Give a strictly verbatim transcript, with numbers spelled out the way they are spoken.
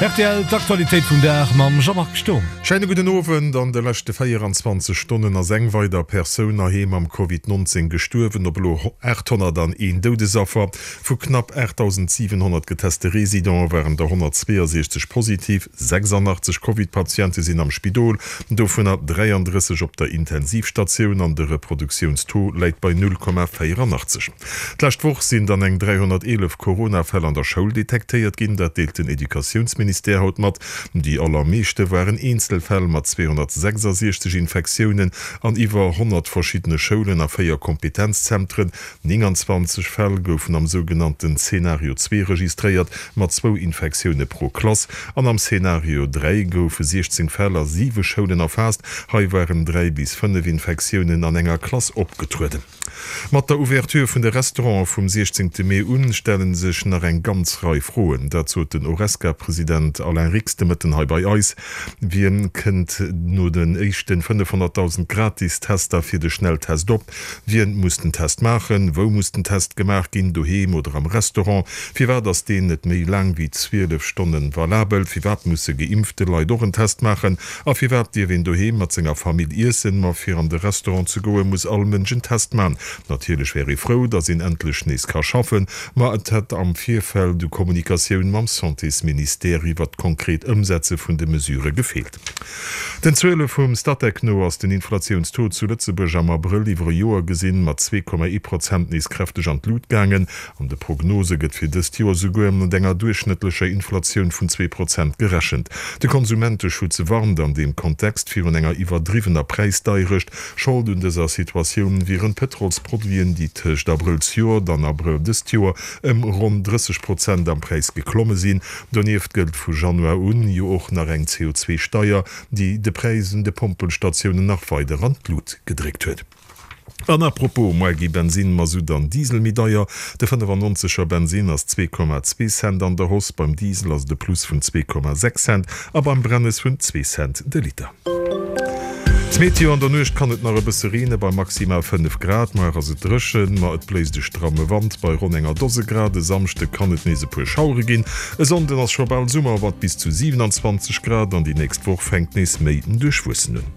Rtl, D'Aktualitéit vum Dag mam Jean-Marc Sturm. Scheine gudden Owend. An de leschte véieranzwanzeg Stonnen ass eng weider Persoun heiheem am Covid neunzéng gestuerwen, op elo aathonnertaneen Doudesaffer. Vu knapp aachtdausendsiwenhonnert geteste Residente waren der honnertzweeësechzeg positiv. sechsandachtzeg Covid-Patiente sinn am Spidol, dovunner dräiandrësseg op der Intensivstatioun an de Reproduktiounstaux läit bei null Komma véierandachtzeg. D'lescht Woch sinn dann eng dräihonnerteelef Corona-Fäll an der Schoul detektéiert ginn, dat deelt den Educatiounsministère haut mat. Déi allermeeschte waren Eenzelfäll mat zweehonnertsechsasiechzeg Infektiounen an iwwer honnert verschiddene Schoulen a véier Kompetenzzentren. Nénganzwanzeg Fäll goufen am sougenannten Zeenario zwee registréiert, mat zwou Infektioune pro Klass. An am Zeenario dräi goufe siechzéng Fäll a siwe Schoulen erfaasst. Hei waren dräi bis fënnef Infektiounen an enger Klass opgetrueden. Mat der Ouverture vun de Restaurante vum siechzéngte Mee un, stelle sech nach eng ganz Rei Froen. Dat sot den Horesca-President Alain Rix de Mëtten hei bei eis. Wien kënnt no den éischte fënnefhonnertdausend Gratis-Tester fir de Schnelltest op? Wien muss den Test maachen? Wou muss den Test gemaach ginn, doheem oder am Restaurant? Firwat ass deen net méi laang wéi zwielef Stonne valabel? Firwat musse geimpfte Leit och en Test maachen? A firwat dierf een doheem mat senger Famill iessen, ma fir an de Restaurant ze goe muss all Mënsch en Test man? Natierlech wär ee frou, datt een endlech nees ka schaffen, ma et hätt am Virfeld u Kommunikatioun mam Santésministère iwwert d'konkret Ëmsetze vun de Mesurë gefeelt. Den Zuele vum Statec no ass den Inflatiounstaux zu Lëtzebuerg am Abrëll iwwer e Joer gesinn mat zwee Komma ee Prozent nees kräfteg an d'Lut gaangen. An de Prognose gëtt fir dëst Joer souguer mat enger duerchschnëttlecher Inflatioun vun zwee Prozent gerechent. De Konsumenteschutz warnt an deem Kontext virun enger iwwerdriwwener Präisdeierecht. Schold un dëser Situatioun wieren d'Pëtrolsproduiten, déi tëscht Abrëll zejoert an Abrëll dëst Joer ëm ronn drësseg Prozent am Präis geklomme sinn. Donieft gëllt vu Januar un jo och nach eng C O zwei Steier, déi de Präis un de Pompelstatiounen nach weider an d'Lut gedréckt huet. An à propos, muer gi Bensin, Masutt an Diesel méi deier. De fënnefannonzeger Bensin ass zwee Komma zwee Cent an der Hausse, beim Diesel ass et e Plus vun zwee Komma sechs Cent a beim Brennes vun zwee Cent de Liter. D'Meteo: An der Nuecht kann et nach e bësse reene bei maximal fënnef Grad. Muer ass et dréchen, ma et bléist e stramme Wand bei ronn enger Dose Grad. E Samschde kann et nees e puer Schauere ginn. E Sonnden ass scho bal Summer mat bis zu siewenanzwanzeg Grad an déi nächst Woch fänkt nees méi duerchwuessen un.